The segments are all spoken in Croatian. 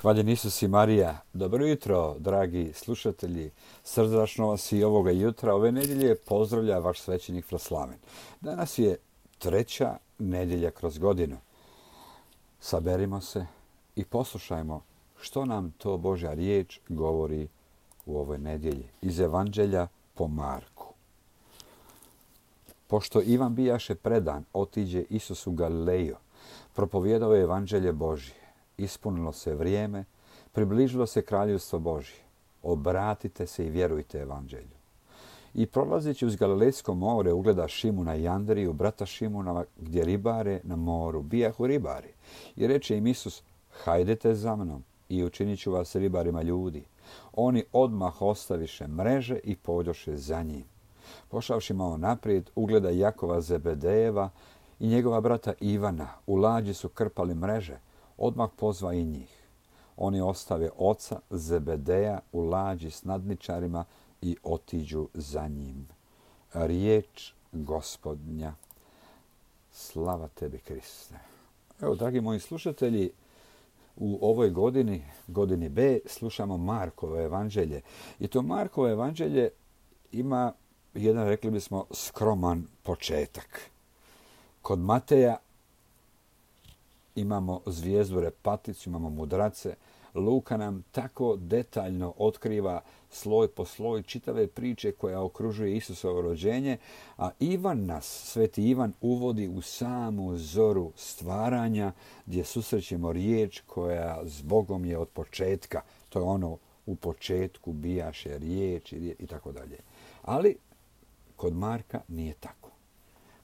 Hvaljen Isus i Marija. Dobro jutro, dragi slušatelji. Srdačno vas i ovoga jutra, ove nedjelje, pozdravlja vaš svećenik Fraslaven. Danas je treća nedjelja kroz godinu. Saberimo se i poslušajmo što nam to Božja riječ govori u ovoj nedjelji. Iz Evanđelja po Marku. Pošto Ivan bijaše predan, otiđe Isus u Galileju. Propovijedao je Evanđelje Božje. Ispunilo se vrijeme, približilo se kraljevstvo Božje. Obratite se i vjerujte Evanđelju. I prolazeći uz Galilejsko more ugleda Šimuna i Andriju, brata Šimuna, gdje ribare na moru. Bijahu ribari. I reče im Isus, hajdete za mnom i učinit ću vas ribarima ljudi. Oni odmah ostaviše mreže i pođoše za njim. Pošavši malo naprijed, ugleda Jakova Zebedejeva i njegova brata Ivana. U lađi su krpali mreže. Odmah pozva i njih. Oni ostave oca Zebedeja u lađi s nadničarima i otiđu za njim. Riječ Gospodnja. Slava tebi, Kriste. Evo, dragi moji slušatelji, u ovoj godini B, slušamo Markovo evanđelje. I to Markovo evanđelje ima jedan, rekli bismo, skroman početak. Kod Mateja imamo zvijezdu Repaticu, imamo mudrace. Luka nam tako detaljno otkriva sloj po sloj čitave priče koja okružuje Isusovo rođenje, a Sveti Ivan uvodi u samu zoru stvaranja gdje susrećemo riječ koja s Bogom je od početka. To je ono u početku bijaše riječ i tako dalje. Ali kod Marka nije tako.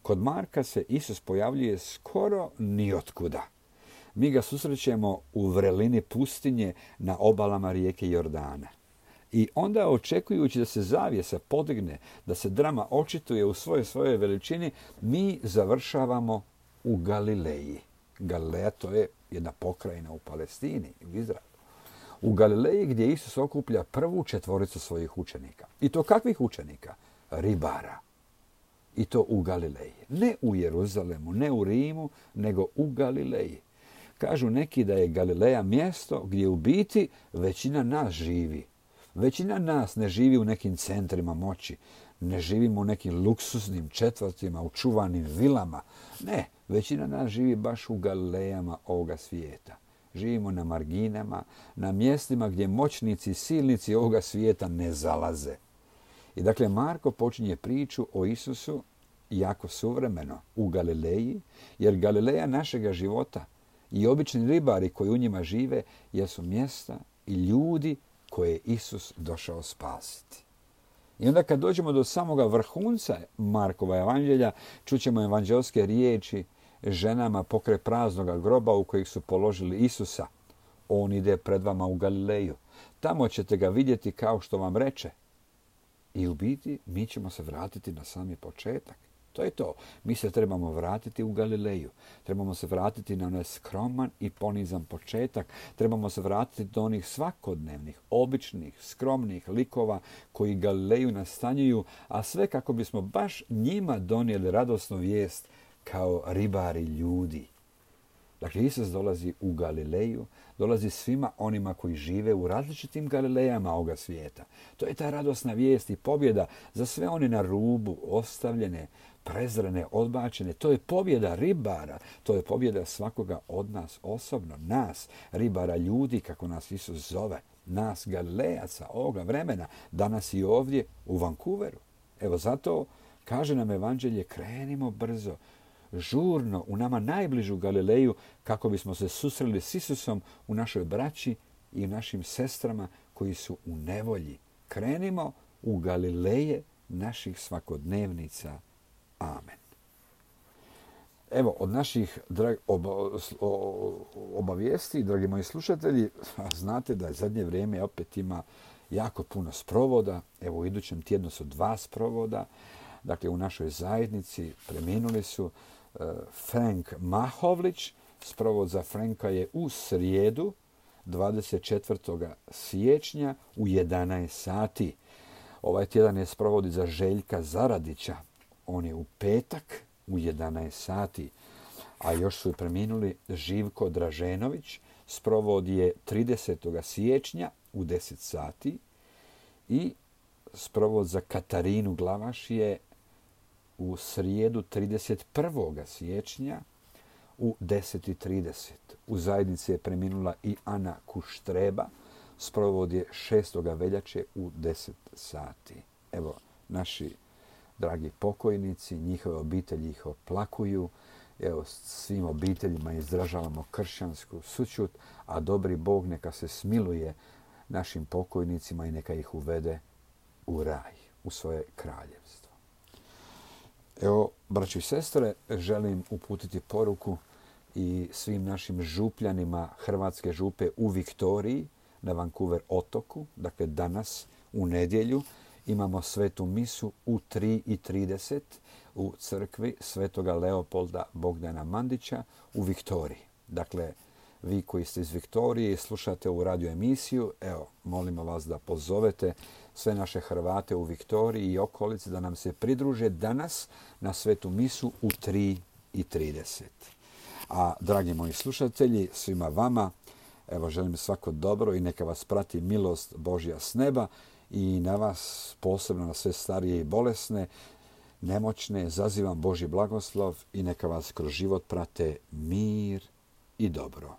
Kod Marka se Isus pojavljuje skoro nijotkuda. Mi ga susrećemo u vrelini pustinje na obalama rijeke Jordana. I onda, očekujući da se zavjesa podigne, da se drama očituje u svojoj veličini, mi završavamo u Galileji. Galileja, to je jedna pokrajina u Palestini, u Izraelu. U Galileji gdje Isus okuplja prvu četvoricu svojih učenika. I to kakvih učenika? Ribara. I to u Galileji. Ne u Jeruzalemu, ne u Rimu, nego u Galileji. Kažu neki da je Galileja mjesto gdje u biti većina nas živi. Većina nas ne živi u nekim centrima moći. Ne živimo u nekim luksuznim četvrtima, u čuvanim vilama. Ne, većina nas živi baš u Galilejama ovoga svijeta. Živimo na marginama, na mjestima gdje moćnici i silnici ovoga svijeta ne zalaze. I dakle, Marko počinje priču o Isusu jako suvremeno u Galileji, jer Galileja našega života i obični ribari koji u njima žive jesu mjesta i ljudi koje je Isus došao spasiti. I onda kad dođemo do samoga vrhunca Markova evanđelja, čućemo evanđelske riječi ženama pokraj praznoga groba u kojih su položili Isusa. On ide pred vama u Galileju. Tamo ćete ga vidjeti kao što vam reče. I u biti mi ćemo se vratiti na sami početak. To je to. Mi se trebamo vratiti u Galileju. Trebamo se vratiti na onaj skroman i ponizan početak. Trebamo se vratiti do onih svakodnevnih, običnih, skromnih likova koji Galileju nastanjuju, a sve kako bismo baš njima donijeli radosnu vijest kao ribari ljudi. Dakle, Isus dolazi u Galileju, dolazi svima onima koji žive u različitim Galilejama ovoga svijeta. To je ta radosna vijest i pobjeda za sve one na rubu, ostavljene, prezrene, odbačene. To je pobjeda ribara, to je pobjeda svakoga od nas osobno, nas, ribara ljudi, kako nas Isus zove, nas Galilejaca ovoga vremena, danas i ovdje u Vancouveru. Evo zato kaže nam evanđelje, krenimo brzo, žurno u nama najbližu Galileju kako bismo se susreli s Isusom u našoj braći i našim sestrama koji su u nevolji. Krenimo u Galileje naših svakodnevnica. Amen. Evo, od naših obavijesti, dragi moji slušatelji, znate da zadnje vrijeme opet ima jako puno sprovoda. Evo, u idućem tjednu su 2 sprovoda. Dakle, u našoj zajednici preminuli su Frank Mahovlić. Sprovod za Franka je u srijedu, 24. siječnja u 11 sati. Ovaj tjedan je sprovodi za Željka Zaradića. On je u petak u 11 sati. A još su preminuli Živko Draženović, sprovod je 30. siječnja u 10 sati i sprovod za Katarinu Glavaš je u srijedu 31. siječnja u 10:30. U zajednici je preminula i Ana Kuštreba. Sprovod je 6. veljače u 10 sati. Evo, naši dragi pokojnici, njihove obitelji ih oplakuju. Evo, svim obiteljima izražavamo kršćansku sućut, a dobri Bog neka se smiluje našim pokojnicima i neka ih uvede u raj, u svoje kraljevstvo. Evo, braćo i sestre, želim uputiti poruku i svim našim župljanima Hrvatske župe u Viktoriji na Vancouver otoku. Dakle, danas u nedjelju imamo svetu misu u 3:30 u crkvi Svetoga Leopolda Bogdana Mandića u Viktoriji. Dakle, vi koji ste iz Viktorije i slušate ovu radio emisiju, evo, molimo vas da pozovete sve naše Hrvate u Viktoriji i okolici da nam se pridruže danas na svetu misu u 3:30. A, dragi moji slušatelji, svima vama, evo, želim svako dobro i neka vas prati milost Božja s neba i na vas, posebno na sve starije i bolesne, nemoćne, zazivam Božji blagoslov i neka vas kroz život prate mir i dobro.